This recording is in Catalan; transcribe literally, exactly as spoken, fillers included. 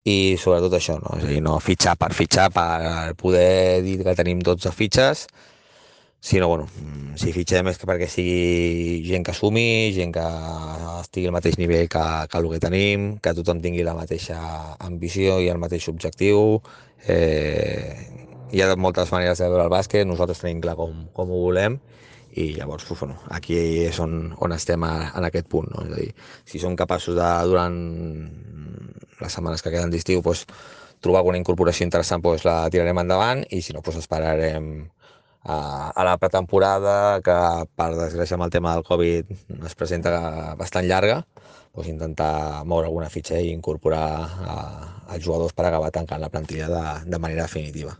i sobretot això, no? És a dir, no fitxar per fitxar, per poder dir que tenim dotze fitxes, sinó, bueno, mm, si fitxem és que perquè sigui gent que sumi, gent que estigui al mateix nivell que, que el que tenim, que tothom tingui la mateixa ambició i el mateix objectiu. Eh, hi ha moltes maneres de veure el bàsquet, nosaltres tenim clar com, com ho volem, i llavors, pues, bueno, aquí és on, on estem a, en aquest punt, no? És a dir, si som capaços de, durant les setmanes que queden d'estiu, pues, trobar alguna incorporació interessant, pues, la tirarem endavant, i si no, pues, esperarem a, a la pretemporada, que per desgràcia amb el tema del Covid es presenta bastant llarga, pues, intentar moure alguna fitxa i incorporar a, als jugadors per acabar tancant la plantilla de, de manera definitiva.